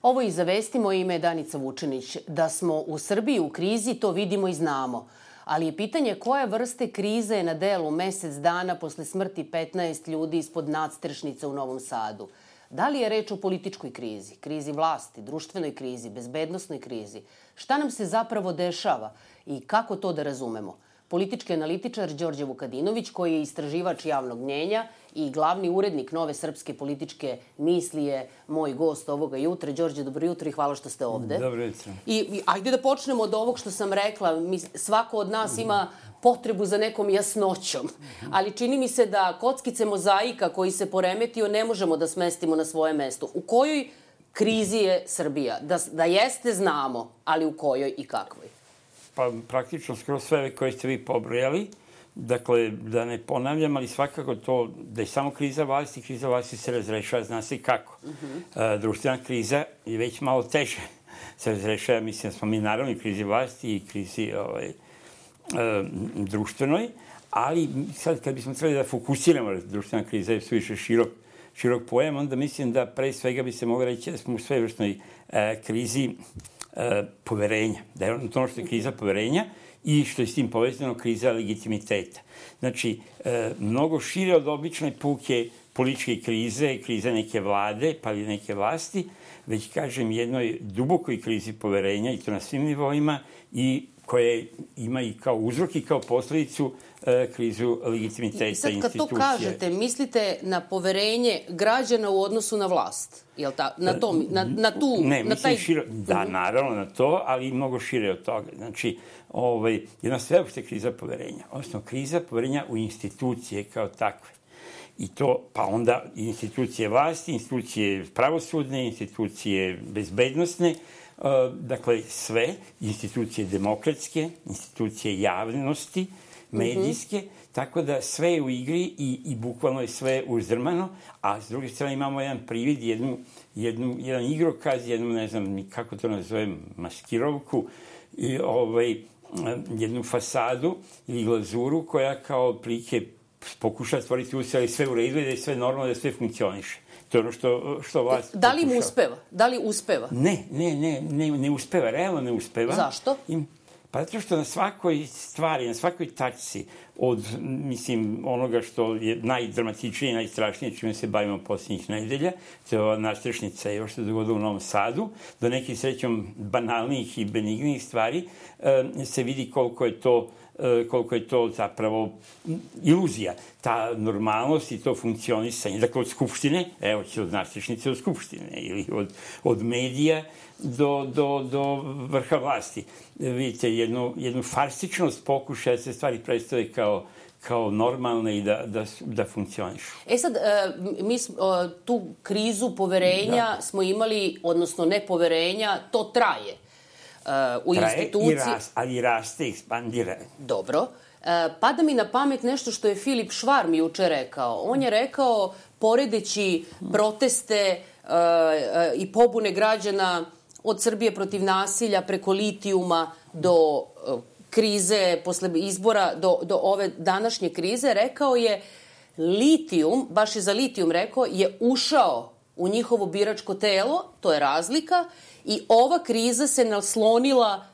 Ovo i za vesti, moje ime je Danica Vučenić. Da smo u Srbiji u krizi, to vidimo i znamo. Ali je pitanje koje vrste krize je na delu mesec dana posle smrti 15 ljudi ispod nadstrešnice u Novom Sadu. Da li je reč o političkoj krizi, krizi vlasti, društvenoj krizi, bezbednosnoj krizi? Šta nam se zapravo dešava i kako to da razumemo? Politički analitičar Đorđe Vukadinović, koji je istraživač javnog mnjenja i glavni urednik Nove srpske političke misli, je moj gost ovoga jutra. Đorđe, dobro jutro i hvala što ste ovde. Dobro jutro. I ajde da počnemo od ovog što sam rekla. Svako od nas ima potrebu za nekom jasnoćom. Ali čini mi se da kockice mozaika koji se poremetio ne možemo da smestimo na svoje mesto. U kojoj krizi je Srbija? Da jeste, znamo, ali u kojoj i kakvoj? Pa praktično skoro sve koje ste vi pobrojali, dakle, da ne ponavljam, ali svakako to da je samo kriza vlasti se razrešava, zna se kako. Društvena kriza je već malo teže se razrešava, mislim da smo mi naravno i krizi vlasti i krizi društvenoj, ali sad kad bismo trebali da fokusiramo, društvena kriza je suviše širok pojam, onda mislim da pre svega bi se moglo reći da smo u svevrsnoj krizi poverenja, da je ono što je kriza poverenja i što je s tim povezano kriza legitimiteta. Znači, mnogo šire od obične puke političke krize neke vlade, pa i neke vlasti, već kažem jednoj dubokoj krizi poverenja i to na svim nivoima i koje ima i kao uzrok i kao posledicu krizu legitimiteta institucije. I sad kad to kažete, mislite na poverenje građana u odnosu na vlast? Jel na tu... Ne, mislim širo... Da, naravno na to, ali mnogo šire od toga. Znači, jedna sveopšta kriza poverenja. Odnosno, kriza poverenja u institucije kao takve. I to, pa onda institucije vlasti, institucije pravosudne, institucije bezbednosne, dakle sve, institucije demokratske, institucije javnosti, medijske, tako da sve je u igri i bukvalno je sve uzdrmano, a s druge strane imamo jedan privid, jedan igrokaz, jednu, ne znam kako to nazovem, maskirovku, jednu fasadu ili glazuru koja kao plike pokuša stvoriti usjeli, ali sve u redu i da je sve normalno, da sve funkcioniše. To je ono što vlast... Da li im uspeva? Da li uspeva? Ne uspeva, realno ne uspeva. Zašto? Pa zato što na svakoj stvari, na svakoj tačci od, mislim, onoga što je najdramatičnije i najstrašnije čime se bavimo posljednjih nedelja, to je ova nadstrešnica i ovo što se dogodilo u Novom Sadu, do nekih srećom banalnijih i benignijih stvari, se vidi koliko je to zapravo iluzija. Ta normalnost i to funkcionisanje. Dakle, od Skupštine, evo će od nadstrešnice do Skupštine, ili od medija do vrha vlasti. Vidite, jednu farsičnost pokušaja da se stvari predstave kao normalne i da funkcionišu. Sad, mi tu krizu poverenja smo imali, odnosno nepoverenja, to traje. U instituciji... ali raste, ekspandira. Dobro. Pada mi na pamet nešto što je Filip Švarm juče rekao. On je rekao, poredeći proteste i pobune građana od Srbije protiv nasilja preko litijuma do krize posle izbora, do ove današnje krize, rekao je litijum, baš je za litijum rekao, je ušao u njihovo biračko telo, to je razlika, i ova kriza se naslonila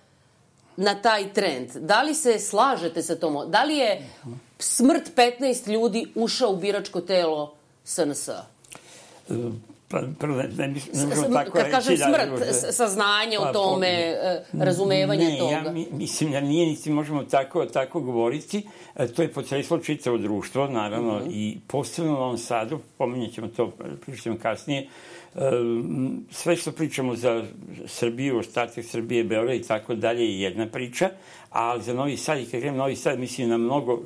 na taj trend. Da li se slažete sa tom? Da li je smrt 15 ljudi ušao u biračko telo SNS-a? Kad kažem smrt, saznanje o tome, razumevanje toga. Mislim da nije, niti možemo tako govoriti. To je potreslo čitavo društvo, naravno, i posebno u Novom Sadu, pominjat ćemo to, pričamo kasnije, sve što pričamo za Srbiju, ostatak Srbije, Beograd i tako dalje je jedna priča, ali za Novi Sad, i kad gledam Novi Sad, mislim na mnogo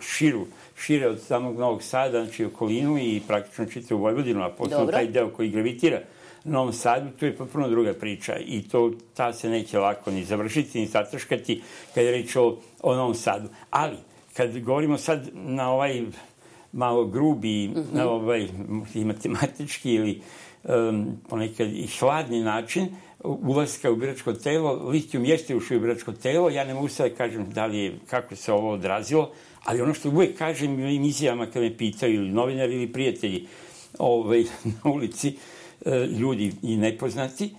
šire od samog Novog Sada, znači okolinu i praktično čitavu Vojvodinu, a posebno taj deo koji gravitira Novom Sadu, to je potpuno druga priča i ta se neće lako ni završiti, ni zatrškati kad je reč o Novom Sadu. Ali, kad govorimo sad na ovaj malo grubi, na ovaj i matematički ili ponekad i hladni način ulaska u biračko telo, litijum jeste ušao u biračko telo, ja ne mogu sad da kažem kako se ovo odrazilo, ali ono što uvek kažem u ovim izjavama kad me pitaju ili novinari ili prijatelji na ulici, ljudi i nepoznati,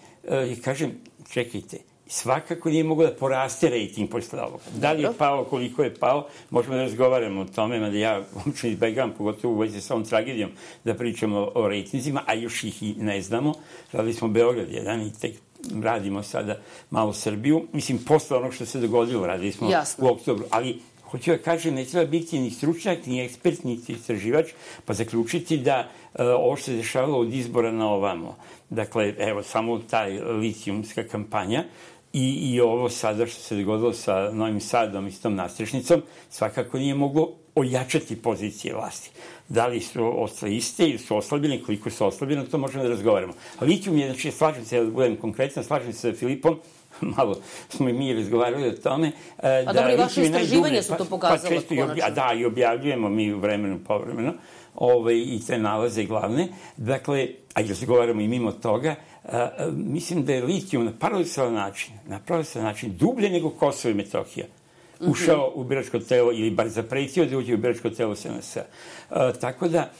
kažem, čekajte, svakako nije moglo da poraste rejting posle ovoga. Da li je pao, koliko je pao, možemo da razgovaramo o tome, mada ja uopšte izbegavam, pogotovo u vezi sa ovom tragedijom, da pričamo o rejtinzima, a još ih i ne znamo. Radili smo Beograd 1 i tek radimo sada malo Srbiju. Mislim, posle onog što se dogodilo, radili smo u oktobru, ali hoću da kažem, ne treba biti ni stručnjak, ni ekspert, ni istraživač, pa zaključiti da ovo što se dešavalo od izbora na ovamo, dakle, evo, samo taj litijumska kampanja i ovo sada što se dogodilo sa Novim Sadom i s tom nastrešnicom, svakako nije moglo ojačati pozicije vlasti. Da li su ostale iste ili su oslabljene, koliko su oslabljene, to možemo da razgovaramo. A litijum je, znači, slažem se, da budem konkretno, slažem se sa Filipom, malo smo i mi razgovarali o tome. A dobro, i vaše istraživanja su to pokazala konačno. Da, i objavljujemo mi u vremenu povremeno i te nalaze glavne. Dakle, a i razgovaramo i mimo toga, mislim da je litijum na paradoksalan način dublje nego Kosovo i Metohija ušao u biračko telo ili bar zapretio da uđe u biračko telo SNS. Tako da,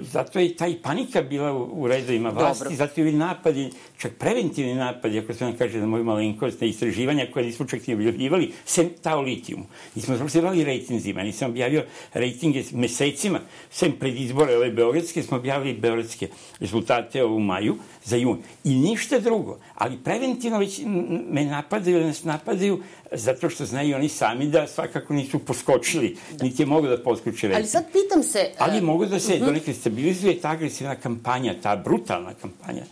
zato je taj panika bila u redovima vlasti, zato je napadi, čak preventivni napadi, ako se nam kaže na moju malenkost, na istraživanja koje nismo čak ni objavljivali, sem ta o litijumu. Nismo završivali rejtinzima, nisam objavio rejtinge mesecima, sem pred izbore ove beogradske, smo objavili beogradske rezultate u maju za jun. I ništa drugo. Ali preventivno već me napadaju ili nas napadaju zato što znaju oni sami da svakako nisu poskočili, niti je mogu da poskoče rejting. Ali sad pitam se... Ali mogu da se donekle stabilizuje ta agresivna kampanja, ta brutalna kampanja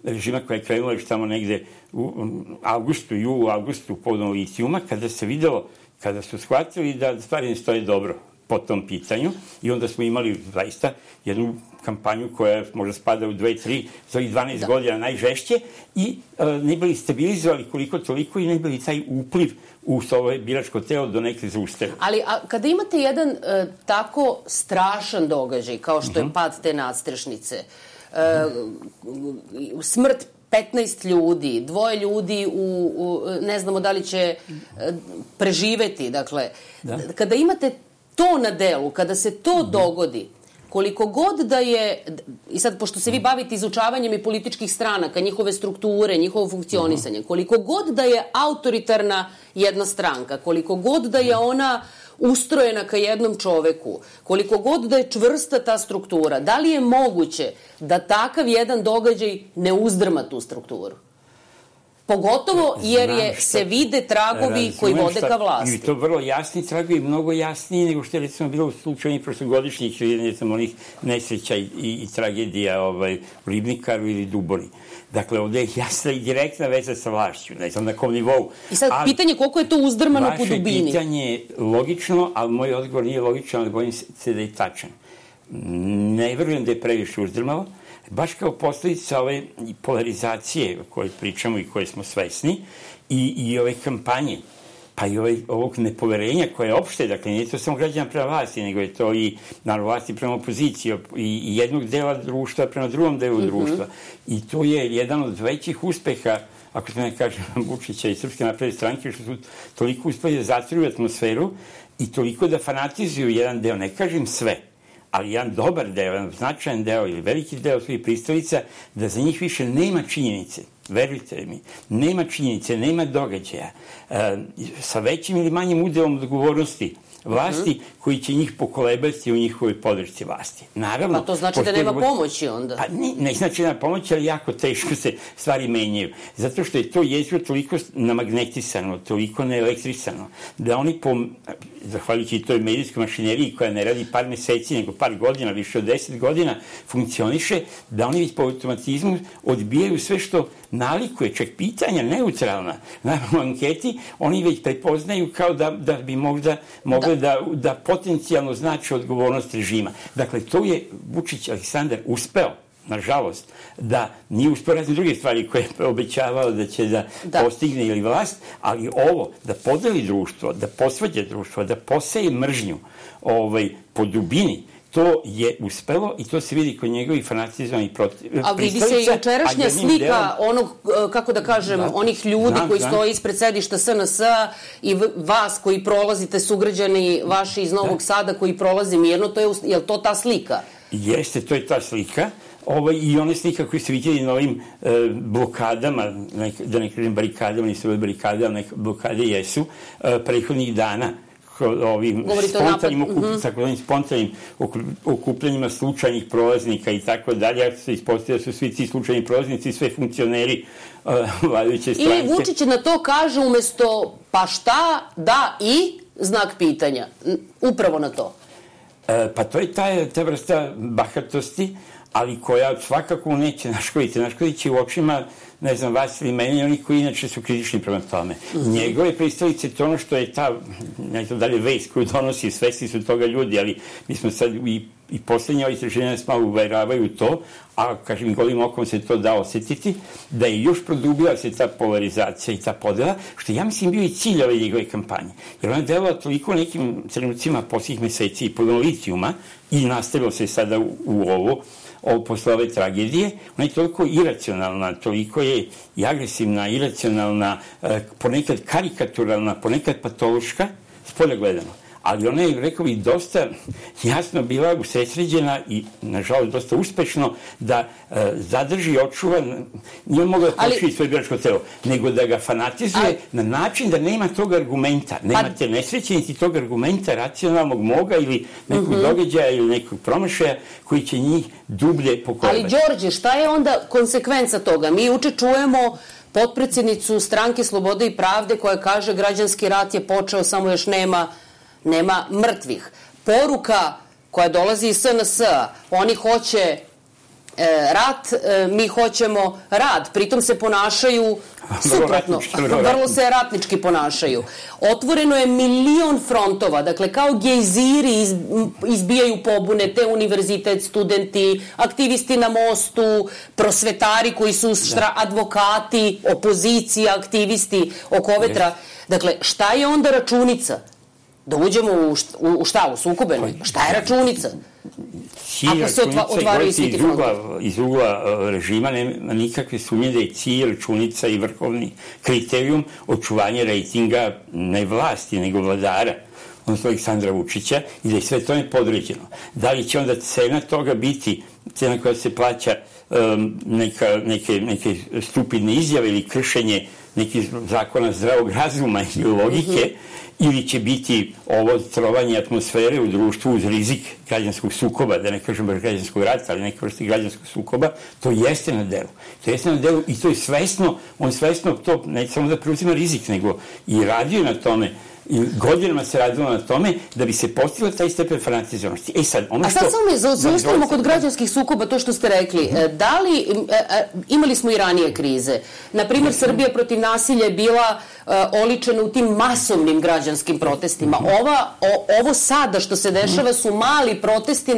režima koja je krenula još tamo negde u avgustu povodom litijuma, kada se videlo, kada su shvatili da stvari ne stoje dobro po tom pitanju i onda smo imali zaista jednu kampanju koja možda spada u 2-3 za ovih 12 godina najžešće i ne bili stabilizovali koliko toliko i ne bili taj upliv u svoje biračko telo do neke zaustavu. Ali kada imate jedan tako strašan događaj kao što je pad te nadstrešnice, smrt 15 ljudi, 2 ljudi ne znamo da li će preživeti, dakle, kada imate to na delu, kada se to dogodi, koliko god da je, i sad pošto se vi bavite izučavanjem i političkih stranaka, njihove strukture, njihovo funkcionisanje, koliko god da je autoritarna jedna stranka, koliko god da je ona ustrojena ka jednom čoveku, koliko god da je čvrsta ta struktura, da li je moguće da takav jedan događaj ne uzdrma tu strukturu? Pogotovo jer se vide tragovi koji vode ka vlasti. I to vrlo jasni tragovi, mnogo jasniji nego što je recimo bilo u slučaju prošlogodišnjih onih nesreća i tragedija u Ribnikaru ili Duboni. Dakle, ovde je jasna i direktna veza sa vlašću, ne znam na kom nivou. I sad pitanje koliko je to uzdrmano po dubini? Vaše pitanje je logično, ali moj odgovor nije logičan, ali bojim se da je tačan. Ne verujem da je previše uzdrmalo. Baš kao posledica ove polarizacije o kojoj pričamo i koje smo svesni i ove kampanje, pa i ovog nepoverenja koje je opšte, dakle nije to samo građana prema vlasti, nego je to i naravno vlasti prema opoziciji i jednog dela društva prema drugom delu društva. I to je jedan od većih uspeha, ako se ne kažem, Vučića i Srpske napredne stranke, što su toliko uspeli da zatruju atmosferu i toliko da fanatizuju jedan deo, ne kažem sve, ali jedan dobar deo, jedan značajan deo ili veliki deo svojih pristalica, da za njih više nema činjenice. Verujte mi, nema činjenice, nema događaja. Sa većim ili manjim udelom odgovornosti vlasti koji će njih pokolebati u njihovoj podršci vlasti. Naravno, pa to znači da nema pomoći onda? Pa ne znači da nema pomoći, ali jako teško se stvari menjaju. Zato što je to jezgro toliko namagnetisano, toliko neelektrisano, da oni zahvaljujući toj medijskoj mašineriji koja ne radi par meseci, nego par godina, više od 10 godina, funkcioniše, da oni već po automatizmu odbijaju sve što nalikuje, čak pitanja neutralna. Naravno, u anketi oni već prepoznaju kao da bi možda mogle da potencijalno znači odgovornost režima. Dakle, to je Vučić Aleksandar uspeo, nažalost, da nije uspeo razne druge stvari koje je obećavao da će da postigne ili vlast, ali ovo, da podeli društvo, da posvađa društvo, da poseje mržnju po dubini, to je uspelo i to se vidi kod njegovih fanatizovanih pristalica. A vidi se i jučerašnja slika onog, kako da kažem, onih ljudi koji stoje ispred sedišta SNS-a i vas koji prolazite, sugrađani vaši iz Novog Sada koji prolaze mirno, je li to ta slika? Jeste, to je ta slika. I one slika koje su vidjeli na ovim blokadama, da ne kažem barikadama, nisu ove barikade, ali neke blokade jesu, prethodnih dana, ovim spontanim okupljanjima slučajnih prolaznika i tako dalje, ako se ispostavlja da su svi ti slučajni prolaznici, sve funkcioneri vladajuće stranke. I Vučić na to kaže umesto pa šta, da i znak pitanja. Upravo na to. Pa to je ta vrsta bahatosti, ali koja svakako neće naškoditi. Naškoditi u očima, ne znam, vas ili meni, oni koji inače su kritični prema tome. Njegove pristalice, to ono što je ta, ne znam dalje, vest koju donosi, svesni su toga ljudi, ali mi smo sad i poslednje istraženja nas malo uveravaju to, a kažem, golim okom se to da osetiti, da je još produbila se ta polarizacija i ta podela, što ja mislim bio i cilj ove njegove kampanje. Jer ona delala toliko nekim trenucima posljednjih meseci i pod litijuma i nastavilo se sada u ovo posle ove tragedije, ona je toliko iracionalna, toliko je i agresivna, iracionalna, ponekad karikaturalna, ponekad patološka, spolja gledano. Ali ona je, rekao bih, dosta jasno bila usredsređena i, nažalost, dosta uspešno da zadrži, očuva, nije mogla da poširi svoje biračko telo, nego da ga fanatizuje na način da nema tog argumenta. Nemate nesreće niti tog argumenta racionalnog moga ili nekog događaja ili nekog promašaja koji će njih dublje pokoravati. Ali, Đorđe, šta je onda konsekvenca toga? Mi juče čujemo potpredsednicu Stranke Slobode i pravde koja kaže građanski rat je počeo, samo još nema mrtvih. Poruka koja dolazi iz SNS-a, oni hoće rat, mi hoćemo rad. Pritom se ponašaju suprotno. Vrlo se ratnički ponašaju. Otvoreno je milion frontova. Dakle, kao gejziri izbijaju pobune, te univerzitet, studenti, aktivisti na mostu, prosvetari koji su advokati, opozicija, aktivisti oko vetra. Dakle, šta je onda računica? Da uđemo u šta? U sukobe? Šta je računica? Ako se otvaraju svi ti frontovi. Iz ugla režima nema nikakve sumnje da je cilj, računica i vrhovni kriterijum očuvanje rejtinga ne vlasti, nego vladara, odnosno Aleksandra Vučića, i da je sve to nepodređeno. Da li će onda cena toga biti cena koja se plaća neke stupidne izjave ili kršenje nekih zakona zdravog razuma i logike, ili će biti ovo trovanje atmosfere u društvu uz rizik građanskog sukoba, da ne kažem baš građanskog rata, ali neke vrste građanskog sukoba, to jeste na delu. To jeste na delu i to je svesno, on svesno to ne samo da preuzima rizik, nego i radio na tome, i godinama se radilo na tome da bi se postigla taj stepen fanatizovanosti. A sad samo zaustavimo kod građanskih sukoba to što ste rekli. Da li, imali smo i ranije krize. Naprimjer, Srbija protiv nasilja je bila oličena u tim masovnim građanskim protestima. Ovo sada što se dešava su mali protesti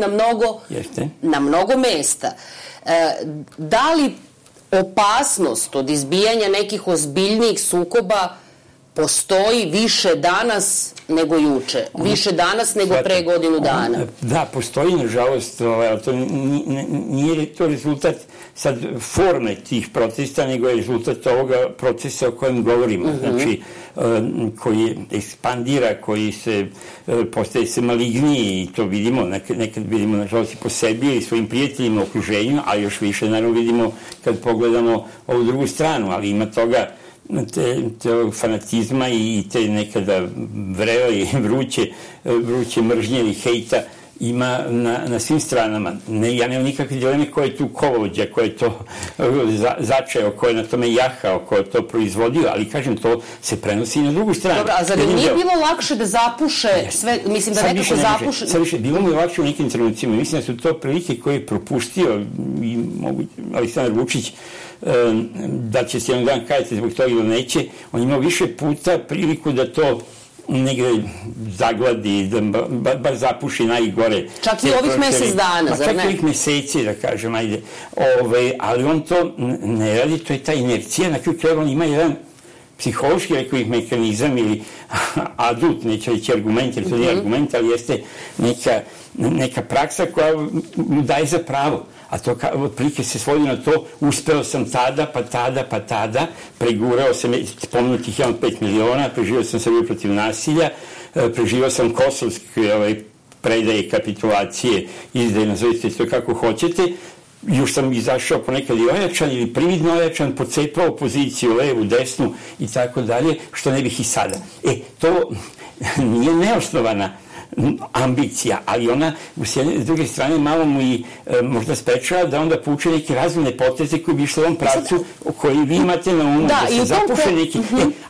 na mnogo mesta. Da li opasnost od izbijanja nekih ozbiljnijih sukoba postoji više danas nego juče, više danas nego pre godinu dana? Da, postoji, nažalost, to nije to rezultat sad forme tih protesta, nego je rezultat ovoga procesa o kojem govorimo. Znači, koji ekspandira, koji postaje se maligniji, i to vidimo, nekad vidimo, nažalost, i po sebi i svojim prijateljima, okruženjima, a još više, naravno, vidimo kad pogledamo ovu drugu stranu, ali ima toga te fanatizma i te nekada vrele i vruće mržnje ili hejta ima na svim stranama. Ja nemam nikakve dileme ko je tu kolovođa, ko je to začeo, ko je na tome jahao, ko je to proizvodio, ali kažem, to se prenosi i na drugu stranu. Dobro, a zar im nije bilo lakše da zapuše sve, mislim da nekako zapuše? Sad više, bilo mu je lakše u nekim trenucima. Mislim da su to prilike koje je propustio i Aleksandar Vučić, da će se jedan dan kajati zbog toga ili neće, on imao više puta priliku da to negde zagladi, da bar zapuši najgore. Čak i ovih mesec dana, zar ne? Čak i ovih meseci, da kažem, ajde. Ali on to ne radi, to je ta inercija, na kraju krajeva on ima jedan psihološki, rekao bih, mehanizam ili adut, neće reći argument, jer to nije argument, ali jeste neka praksa koja mu daje za pravo. A to otprilike se svodi na to, uspeo sam tada, pregurao sam, spomenutih 5 miliona, preživao sam Srbiju protiv nasilja, preživao sam kosovske predaje, kapitulacije, izdaje, nazovite to kako hoćete, još sam izašao ponekad i ojačan ili prividno ojačan, pocepao opoziciju, levu, desnu i tako dalje, što ne bih i sada. To nije neosnovana ambicija, ali ona s druge strane malo mu i možda sprečava da onda pouče neke razumne poteze koji bi išli u ovom pravcu koji vi imate na umu, da se zapuše neki...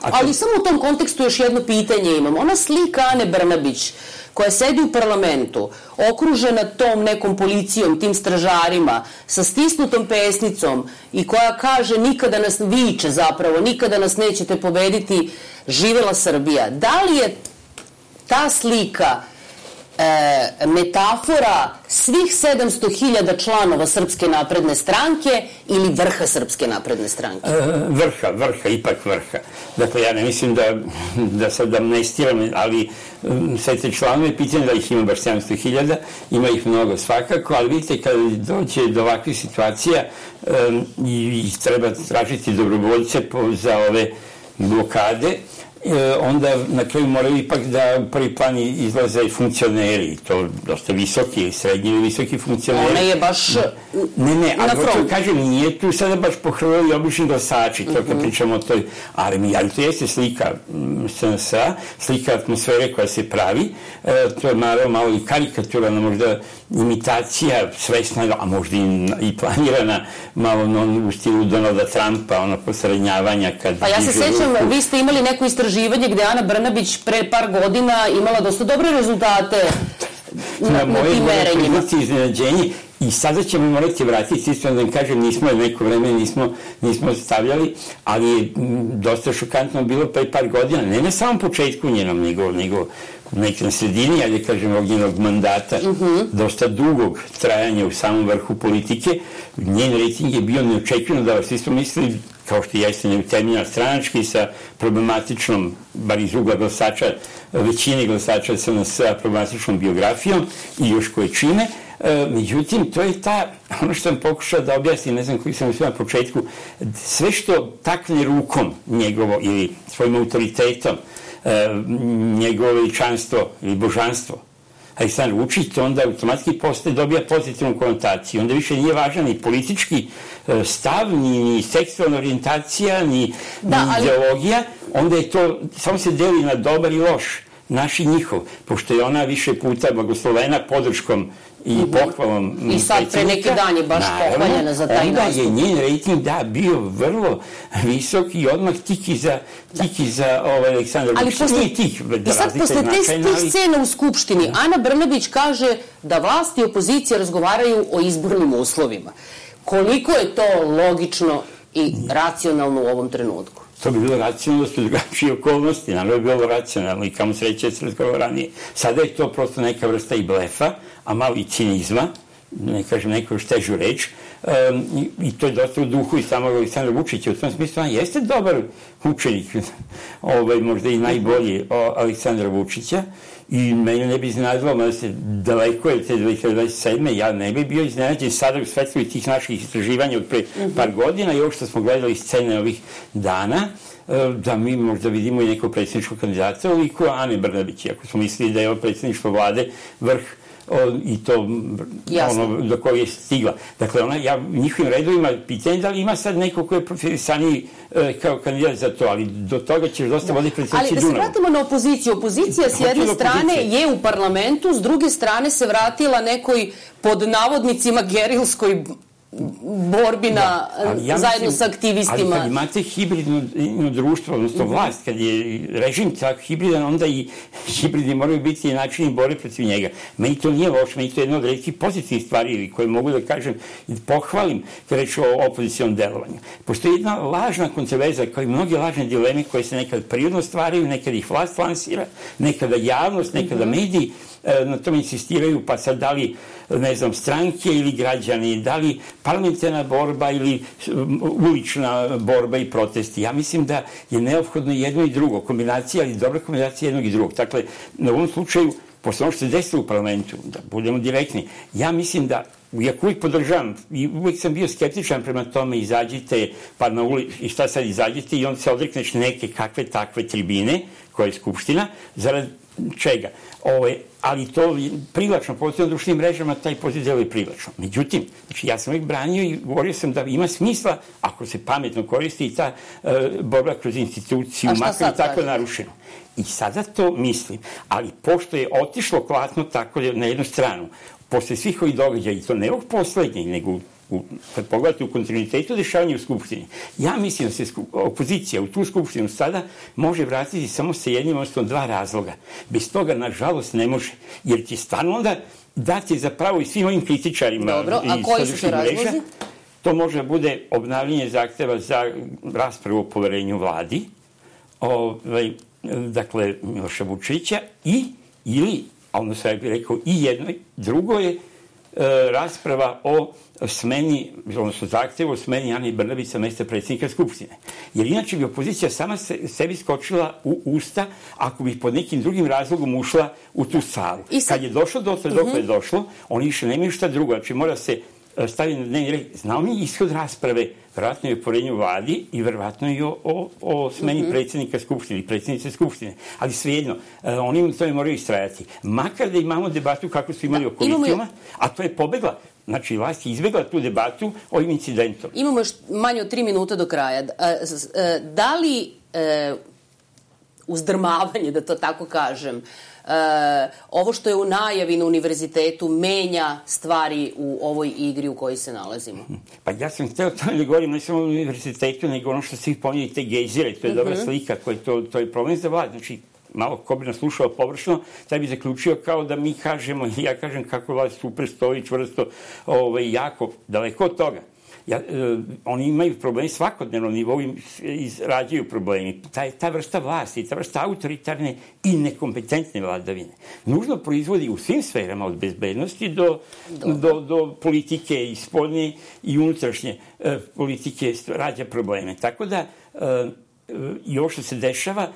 Ali samo u tom kontekstu još jedno pitanje imam. Ona slika Ane Brnabić koja sedi u parlamentu, okružena tom nekom policijom, tim stražarima, sa stisnutom pesnicom i koja kaže nikada nas viče zapravo, nikada nas nećete pobediti, živela Srbija. Da li je ta slika metafora svih 700.000 članova Srpske napredne stranke ili vrha Srpske napredne stranke? Ipak vrha. Dakle, ja ne mislim da sad amnestiram, ali sve te članove, pitanje da ih ima baš 700.000, ima ih mnogo svakako, ali vidite, kada dođe do ovakvih situacija i treba tražiti dobrovoljce za ove blokade, onda na kraju moraju ipak da prvi plan izlaze i funkcioneri, to dosta visoki ili srednji ili visoki funkcioneri. Ona je baš ne, ali hoću kažem, nije tu sada baš pohrvali obični glasači, to kad pričamo o toj armiji, ali to jeste slika SNS-a, slika atmosfere koja se pravi, to je malo i karikaturalna, možda imitacija svesna, a možda i planirana malo u stilu Donalda Trumpa, ono posrednjavanja kad... Pa ja se sećam, vi ste imali neko istraživanje gde Ana Brnabić pre par godina imala dosta dobre rezultate na tim merenjima. Iznenađenje. I sada ćemo morati vratiti, isto da vam kažem, nismo neko vreme nismo stavljali, ali je dosta šokantno bilo pre par godina, ne na samom početku njenom, nego nekaj na sredini, ali kažem, ovog njenog mandata, dosta dugog trajanja u samom vrhu politike. Njen rejting je bio neočekivano, da vas isto mislili, kao što jeste neutemeljena stranački, sa problematičnom, bar iz ugla glasača, većine glasača SNS-a, problematičnom biografijom i još koje čine. Međutim, to je ono što sam pokušao da objasnim, ne znam koji sam sve na početku, sve što takne rukom njegovo ili svojim autoritetom, njegovo veličanstvo ili božanstvo, Aleksandar Vučić, to onda automatski dobija pozitivnu konotaciju. Onda više nije važan ni politički stav, ni seksualna orijentacija, ni ideologija. Onda je to, samo se deli na dobar i loš, naš i njihov, pošto je ona više puta blagoslovena podrškom i pohvalom predsjednika. I sad pre neki dan je baš pohvaljena za taj nastup. Onda je njen rejting, bio vrlo visok i odmah tiki za Aleksandar Vučić. I sad posle tih scena u Skupštini, Ana Brnabić kaže da vlast i opozicija razgovaraju o izbornim uslovima. Koliko je to logično i racionalno u ovom trenutku? To bi bilo racionalno da su drugačije okolnosti, naravno bi bilo racionalno i kamo sreće da se razgovara ranije. Sada je to prosto neka vrsta i blefa, a malo i cinizma, ne kažem neku još težu reč, i to je dosta u duhu i samog Aleksandra Vučića. U tom smislu on jeste dobar učenik, možda i najbolji Aleksandra Vučića, i mene ne bi iznenadilo, mada se daleko je te 2027. Ja ne bi bio iznenađen sada u svetlu tih naših istraživanja od pre par godina i ovo što smo gledali scene ovih dana, da mi možda vidimo i nekog predsjedničkog kandidata, oliko Ane Brnabić, ako smo mislili da je ovo predsjedništvo vlade vrh i to ono do koje je stigla. Dakle, ona, u njihovim redovima pitanje da li ima sad neko ko je profilisaniji kao kandidat za to, ali do toga ćeš dosta voditi predsjednici Dunavu. Ali da se vratimo na opoziciju. Opozicija s jedne strane je u parlamentu, s druge strane se vratila nekoj pod navodnicima gerilskoj borbi zajedno sa aktivistima. Ali kad imate hibridno društvo, odnosno vlast, kad je režim tako hibridan, onda i hibridi moraju biti i načini borbe protiv njega. Meni to nije loše, meni to je jedna od retkih pozitivnih stvari koje mogu da kažem i pohvalim kad reč o opozicijom delovanju. Postoji jedna lažna kontroverza, kao i mnoge lažne dileme koje se nekad prirodno stvaraju, nekad ih vlast lansira, nekada javnost, nekada mediji na tom insistiraju, pa sad da li, ne znam, stranke ili građani, da li parlamentarna borba ili ulična borba i protesti. Ja mislim da je neophodno jedno i drugo, kombinacija, ali dobra kombinacija jednog i drugog. Dakle, na ovom slučaju, posle ono što se desilo u parlamentu, da budemo direktni, ja mislim da, iako uvijek podržavam, i uvijek sam bio skeptičan prema tome, izađite, pa na ulici, i šta sad izađite, i onda se odrekneš neke kakve takve tribine, koja je Skupština, zarad čega. Ali to privlačno, posebno na društvenim mrežama, taj poziv deluje privlačno. Međutim, znači, ja sam uvijek branio i govorio sam da ima smisla, ako se pametno koristi i ta borba kroz instituciju, makar tako narušeno. I sada to mislim, ali pošto je otišlo klatno tako na jednu stranu, posle svih ovih događaja, i to ne ovog poslednjeg, nego kad pogledate u kontinuitetu dešavanja u Skupštini, ja mislim da se opozicija u tu Skupštinu sada može vratiti samo sa jednim, odnosno dva razloga. Bez toga, nažalost, ne može, jer će stvarno onda dati zapravo i svim ovim kritičarima. Dobro, a koji su to razlozi? To može da bude obnavljanje zahteva za raspravu o poverenju vladi, dakle, Miloša Vučića, ili, ono sam bih rekao, i jedno, drugo je rasprava o smeni, odnosno zahtevu o smeni Ane Brnabić sa mesta predsjednika Skupštine. Jer inače bi opozicija sama sebi skočila u usta ako bi pod nekim drugim razlogom ušla u tu salu. Kad je došlo dok je došlo, oni više nemaju šta drugo. Znači mora se staviti na dnevni red. Znao mi ishod rasprave, verovatno i o poverenju vladi i verovatno i o smeni predsjednika Skupštine i predsjednice Skupštine. Ali svejedno, oni to moraju istrajati. Makar da imamo debatu kako su imali o koalicijama, a to je pobegla. Znači, vlast je izbegla tu debatu ovim incidentom. Imamo još manje od 3 minuta do kraja. Da li uzdrmavanje, da to tako kažem, ovo što je u najavi na univerzitetu menja stvari u ovoj igri u kojoj se nalazimo? Pa ja sam hteo to da govorim ne samo o univerzitetu, nego ono što svi pominjali, te gejzire, to je dobra slika, to je problem za vlast. Znači, malo ko bi nas slušao površno, taj bi zaključio kao da mi kažemo, ja kažem kako vlast super stoji, čvrsto, jako daleko od toga. Oni imaju problemi svakodnevno nivou, izrađuju problemi. Ta vrsta vlasti, ta vrsta autoritarne i nekompetentne vladavine nužno proizvodi u svim sferama od bezbednosti do politike i spoljne i unutrašnje politike rađa probleme. Tako da i ovo što se dešava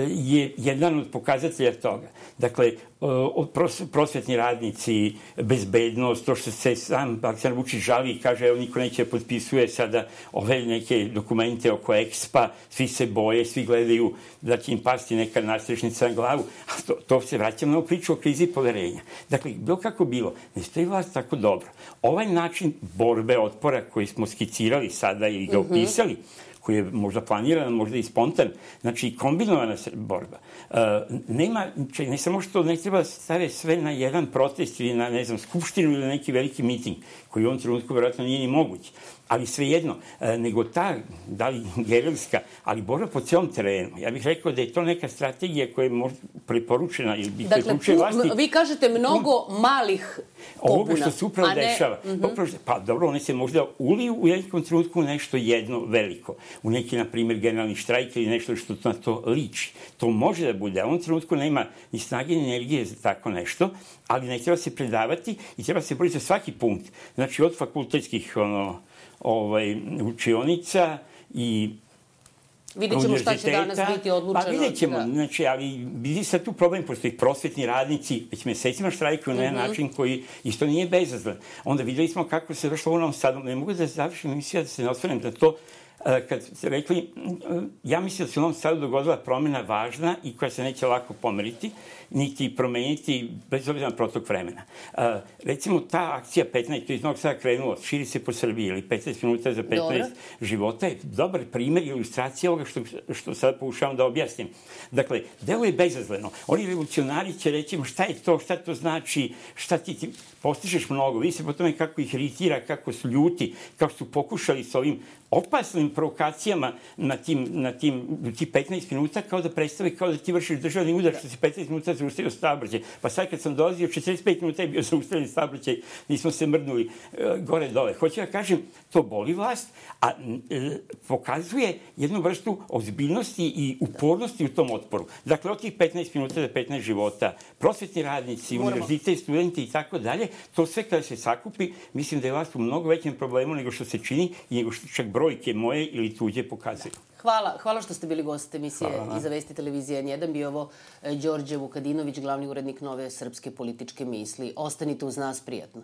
je jedan od pokazatelja toga. Dakle, prosvetni radnici, bezbednost, to što se sam Aleksandar Vučić žali i kaže, evo, niko neće potpisuje sada ove neke dokumente oko EXPA, svi se boje, svi gledaju da će im pasti neka nadstrešnica na glavu, a to se vraćamo na priču o krizi poverenja. Dakle, bilo kako bilo, ne stoji vlast tako dobro. Ovaj način borbe, otpora koji smo skicirali sada i ga opisali, koji je možda planiran, možda i spontan, znači kombinovana borba. Ne samo što ne treba staviti sve na jedan protest ili na, ne znam, skupštinu ili na neki veliki miting, koji u ovom trenutku verovatno nije ni moguć, ali svejedno, nego ta, da li gerilska, ali borba po celom terenu. Ja bih rekao da je to neka strategija koja je možda preporučena ili bi preporučuje vlasti. Dakle, vi kažete mnogo malih pobuna. Ovo što se upravo dešava. Pa dobro, one se možda uliju u jednom trenutku nešto jedno veliko. U neki, na primjer, generalni štrajk ili nešto što na to liči. To može da bude. A u ovom trenutku nema ni snage ni energije za tako nešto, ali ne treba se predavati i treba se boriti za svaki punkt. Znači, od fakultetskih učionica i vidjet ćemo šta će danas biti odlučeno. Pa vidjet ćemo, znači, ali vidi sad tu problem, postoji prosvetni radnici, već mesecima štrajkuju na jedan način koji isto nije bezazlen. Onda videli smo kako se došlo u Novom Sadu. Ne mogu da završim emisiju, da se ne osvrnem da to, kad ste rekli, ja mislim da se u Novom Sadu dogodila promena važna i koja se neće lako pomeriti, niti promeniti bez obzira na protok vremena. Recimo, ta akcija 15, to je iz Novog Sada krenulo, širi se po Srbiji, ili 15 minuta za 15 života, je dobar primer i ilustracija ovoga što sad pokušavam da objasnim. Dakle, delo je bezazleno. Oni revolucionari će reći, šta je to, šta to znači, šta ti postižeš mnogo. Vidi se po tome kako ih iritira, kako su ljuti, kako su pokušali s ovim opasnim provokacijama na tih 15 minuta, kao da predstave, kao da ti vršiš državni udar, što se 15 minuta zaustavio saobraćaj. Pa sad kad sam dolazio, 45 minuta je bio zaustavljen saobraćaj, nismo se mrdnuli gore-dole. Hoću da kažem, to boli vlast, a pokazuje jednu vrstu ozbiljnosti i upornosti u tom otporu. Dakle, od tih 15 minuta do 15 života, prosvetni radnici, univerzitet, studenti i tako dalje, to sve kada se sakupi, mislim da je vlast u mnogo većem problemu nego što se čini i nego što čak brojke moje ili tuđe pokazuju. Hvala što ste bili gost emisije Iza vesti televizije N1. Bio ovo Đorđe Vukadinović, glavni urednik Nove srpske političke misli. Ostanite uz nas, prijatno.